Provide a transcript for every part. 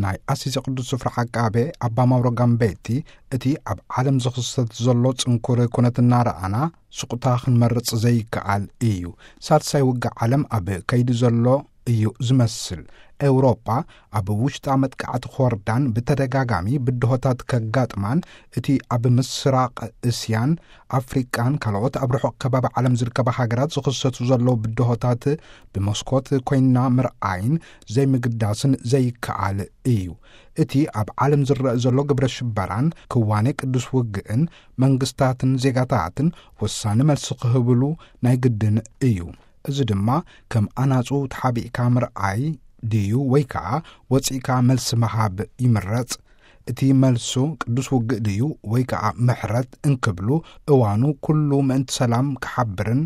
ናይ ኣሲዚ ቅዱስ ስፍራ ዓቃቤ ኣባ ማውሮ ጋምቤቲ፣ እቲ ኣብ ዓለም ዝኽሰት ዘሎ ጽንኩር ኩነት እናረኣና፣ ስቑታ ክንመርጽ ዘይከኣል እዩ። ሳልሳይ ውግእ ዓለም ኣብ ከይዲ ዘሎ እዩ ዝመስል። ኤውሮጳ ኣብ ውሽጣ መጥቃዕቲ ክወርዳን ብተደጋጋሚ ብድሆታት ከጋጥማን፣ እቲ ኣብ ምስራቕ እስያን ኣፍሪቃን ካልኦት ኣብ ርሑቕ ከባቢ ዓለም ዝርከባ ሃገራት ዝኽሰቱ ዘለዉ ብድሆታት ብመስኮት ኮይና ምርኣይን ዘይምግዳስን ዘይከኣል እዩ። እቲ ኣብ ዓለም ዝረአ ዘሎ ግብረ ሽበራን ክዋኔ ቅዱስ ውግእን መንግስታትን ዜጋታትን ወሳኒ መልሲ ክህብሉ ናይ ግድን እዩ። እዚ ድማ ከም ኣናጹ ተሓቢእካ ምርኣይ ድዩ ወይ ከኣ ወጺእካ መልሲ ምሃብ ይምረጽ? እቲ መልሱ ቅዱስ ውግእ ድዩ ወይ ከኣ ምሕረት እንክብሉ፣ እዋኑ ኩሉ ምእንቲ ሰላም ክሓብርን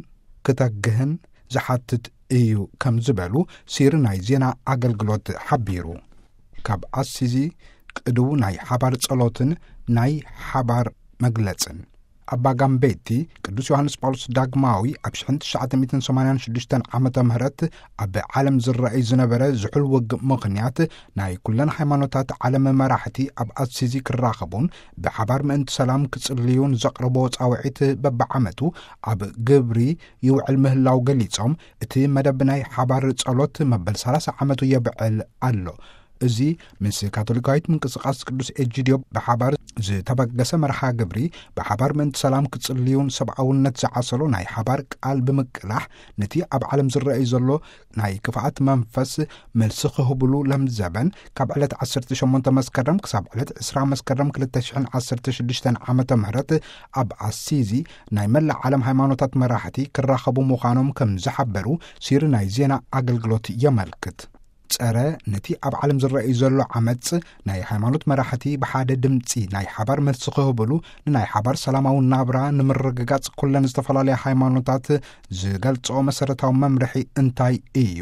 ክተግህን ዝሓትት እዩ ከም ዝበሉ ሲሪ ናይ ዜና ኣገልግሎት ሓቢሩ። ካብ ኣሲዚ ቅድው ናይ ሓባር ጸሎትን ናይ ሓባር መግለጽን። ኣባ ጋምቤቲ ቅዱስ ዮሃንስ ጳውሎስ ዳግማዊ ኣብ ሽሕን ትሽዓተ ሚእትን ሰማንያን ሽዱሽተን ዓመተ ምህረት ኣብ ዓለም ዝረኣይ ዝነበረ ዝሑል ውግእ ምኽንያት ናይ ኩለን ሃይማኖታት ዓለም መራሕቲ ኣብ ኣሲዚ ክራኸቡን ብሓባር ምእንቲ ሰላም ክጽልዩን ዘቕረቦ ጻውዒት በብዓመቱ ኣብ ግብሪ ይውዕል ምህላው ገሊጾም፣ እቲ መደብ ናይ ሓባር ጸሎት መበል ሰላሳ ዓመቱ የብዕል ኣሎ። እዚ ምስ ካቶሊካዊት ምንቅስቃስ ቅዱስ ኤጂድዮ ብሓባር ዝተበገሰ መርሃ ግብሪ፣ ብሓባር ምእንቲ ሰላም ክጽልዩን ሰብኣውነት ዝዓሰሎ ናይ ሓባር ቃል ብምቅላሕ፣ ነቲ ኣብ ዓለም ዝረኣይ ዘሎ ናይ ክፍኣት መንፈስ መልሲ ክህብሉ ለምዘበን፣ ካብ ዕለት ዓሰርተ ሸሞንተ መስከረም ክሳብ ዕለት ዕስራ መስከረም ክልተ ሽሕን ዓሰርተ ሽዱሽተን ዓመተ ምህረት ኣብ ኣሲዚ ናይ መላእ ዓለም ሃይማኖታት መራሕቲ ክራኸቡ ምዃኖም ከም ዝሓበሩ ሲሪ ናይ ዜና ኣገልግሎት የመልክት። ጸረ ነቲ ኣብ ዓለም ዝረኣዩ ዘሎ ዓመጽ ናይ ሃይማኖት መራሕቲ ብሓደ ድምጺ ናይ ሓባር መልሲ ክህብሉ፣ ንናይ ሓባር ሰላማዊ ናብራ ንምርግጋጽ ኩለን ዝተፈላለያ ሃይማኖታት ዝገልጾ መሰረታዊ መምርሒ እንታይ እዩ?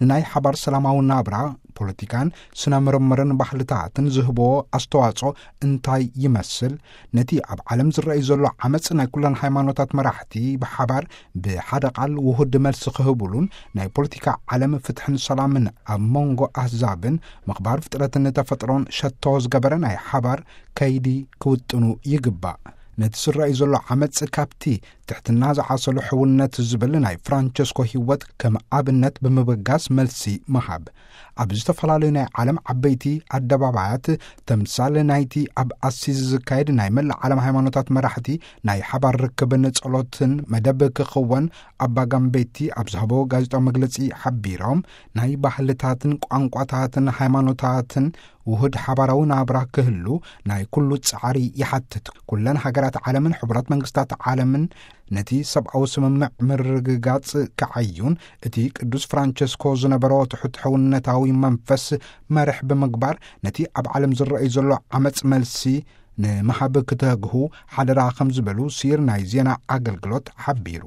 ንናይ ሓባር ሰላማዊ ናብራ፣ ፖለቲካን ስነ ምርምርን ባህልታትን ዝህብዎ ኣስተዋጽኦ እንታይ ይመስል? ነቲ ኣብ ዓለም ዝረኣዩ ዘሎ ዓመጽ ናይ ኩለን ሃይማኖታት መራሕቲ ብሓባር ብሓደ ቃል ውሁድ መልሲ ክህብሉን ናይ ፖለቲካ ዓለም ፍትሕን ሰላምን ኣብ መንጎ ኣህዛብን ምኽባር ፍጥረትን ተፈጥሮን ሸቶ ዝገበረ ናይ ሓባር ከይዲ ክውጥኑ ይግባእ። ነቲ ዝረኣዩ ዘሎ ዓመጽ ካብቲ ትሕትና ዝዓሰሉ ሕውነት ዝብል ናይ ፍራንቸስኮ ህይወት ከም ኣብነት ብምብጋስ መልሲ ምሃብ። ኣብ ዝተፈላለዩ ናይ ዓለም ዓበይቲ ኣደባባያት ተምሳል ናይቲ ኣብ ኣሲዚ ዝካየድ ናይ መላእ ዓለም ሃይማኖታት መራሕቲ ናይ ሓባር ርክብን ጸሎትን መደብ ክኽወን ኣባ ጋምቤቲ ኣብ ዝሃቦ ጋዜጣዊ መግለጺ ሓቢሮም፣ ናይ ባህልታትን ቋንቋታትን ሃይማኖታትን ውሁድ ሓባራዊ ናብራ ክህሉ ናይ ኩሉ ጻዕሪ ይሓትት። ኩለን ሃገራት ዓለምን ሕቡራት መንግስታት ዓለምን ነቲ ሰብኣዊ ስምምዕ ምርግጋጽ ክዓዩን፣ እቲ ቅዱስ ፍራንቸስኮ ዝነበሮ ትሑት ሕውነታዊ መንፈስ መርሕ ብምግባር፣ ነቲ ኣብ ዓለም ዝረኣዩ ዘሎ ዓመጽ መልሲ ንምሃብ ክተግሁ ሓደራ ከም ዝበሉ ሲር ናይ ዜና ኣገልግሎት ሓቢሩ።